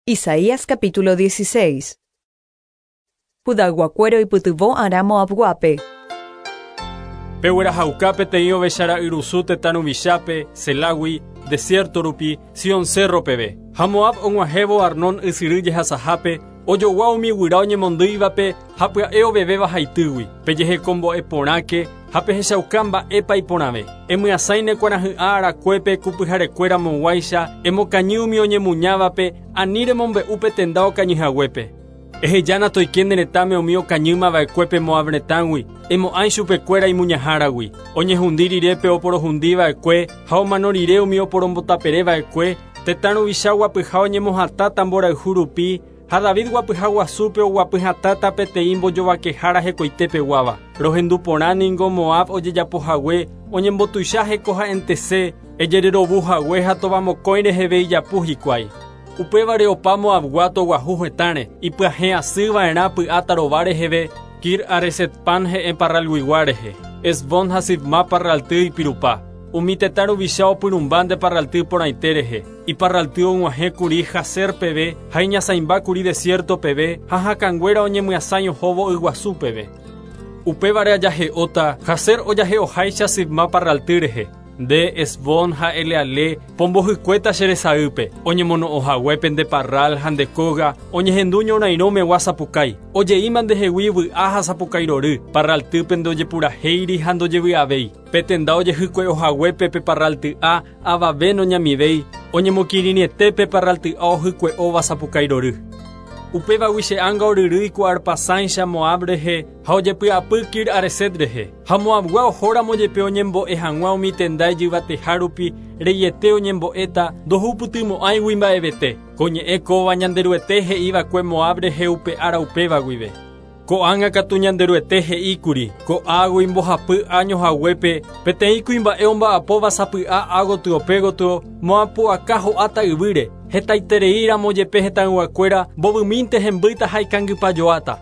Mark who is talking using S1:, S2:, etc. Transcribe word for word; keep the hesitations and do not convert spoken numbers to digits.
S1: Isaías capítulo dieciséis. Judayguakuéra oipytyvõ arã Moabguápe.
S2: Peguerahauka peteĩ ovechara'yrusu tetã ruvichápe, Selágui, desierto rupi, Sion cerro peve. Ha Moab og̃uahẽvo Arnón ysyry jehasahápe, ojogua umi guyra oñemondýivape ha pya'e ovevéva haitýgui. Pejehekombo'e porãke ha pehechauka mba'épa iporãve. Emyasãi ne kuarahy'ã arakuépe kupyharekuéra mog̃uáicha, emokañy umi oñemuñávape, ani remombe'u pe tenda okañyhaguépe. Ehejána toike ne retãme umi okañýmava'ekuépe Moab retãgui, emo'ãi chupekuéra imuñaháragui. Oñehundi rire pe oporohundiva'ekue ha omano rire umi oporombotapereva'ekue, tetã ruvicha guapyha oñemohatãta mborayhu rupi, ha David guapyha guasúpe oguapyhatãta peteĩ mbojovakehára hekoitepeguáva. Rohendu porã ningo Moab ojejapohague, oñembotuicha hekoha'entese, ejererovuhague ha tovamokõi reheve ijapu hikuái. Upévare opa Moabgua toguahu hetãre, ipyahẽ asýva'erã py'a tarova reheve, Kir Haresetpan he'ẽ parralguigua rehe, Hesbón ha Sibma parralty ipirupa. Umi tetã ruvicha opyrũmba nde parralty porãite rehe, iparralty og̃uahẽkuri Jazer peve ha iñasãimbákuri desierto peve ha hakãnguéra oñemyasãi ohóvo yguasu peve. Upévare ajahe'óta Jazer ojahe'oháicha Sibma parralty rehe. Nde Hesbón ha Eleale pombohykuéta che resaýpe, oñemono'õhaguépe nde parral ha nde kóga, oñehendu ñorairõmegua sapukái, ojeíma ndehegui vy'a ha sapukái rory, parraltýpe ndojepurahéiri ha ndojevy'avéi. Pe tenda ojehykue'ohaguépe pe parralty'a avave noñamivéi, oñemokirirĩete pe parralty'a ohykue'óva sapukái rory. Upévagui che ánga oryrýi ku arpasãicha Moab rehe ha ojepy'apy Kir Hareset rehe. Ha Moabgua ohóramo jepe oñembo'e hag̃ua umi tenda ijyvateha rupi reiete oñembo'éta ndohupytymo'ãigui mba'evete. Ko ñe'ẽ kóva Ñanderuete he'iva'ekue Moab rehe upe ára upéva guive. Ko'ág̃a katu Ñanderuete he'íkuri, ko'águi mbohapy año haguépe, peteĩ kuimba'e omba'apóva sapy'a ágotyo pégotyo, Moabpu'aka ho'áta yvýre, hetaitereíramo jepe hetãyguakuéra mbovymínte hembýta ha ikangypajoáta.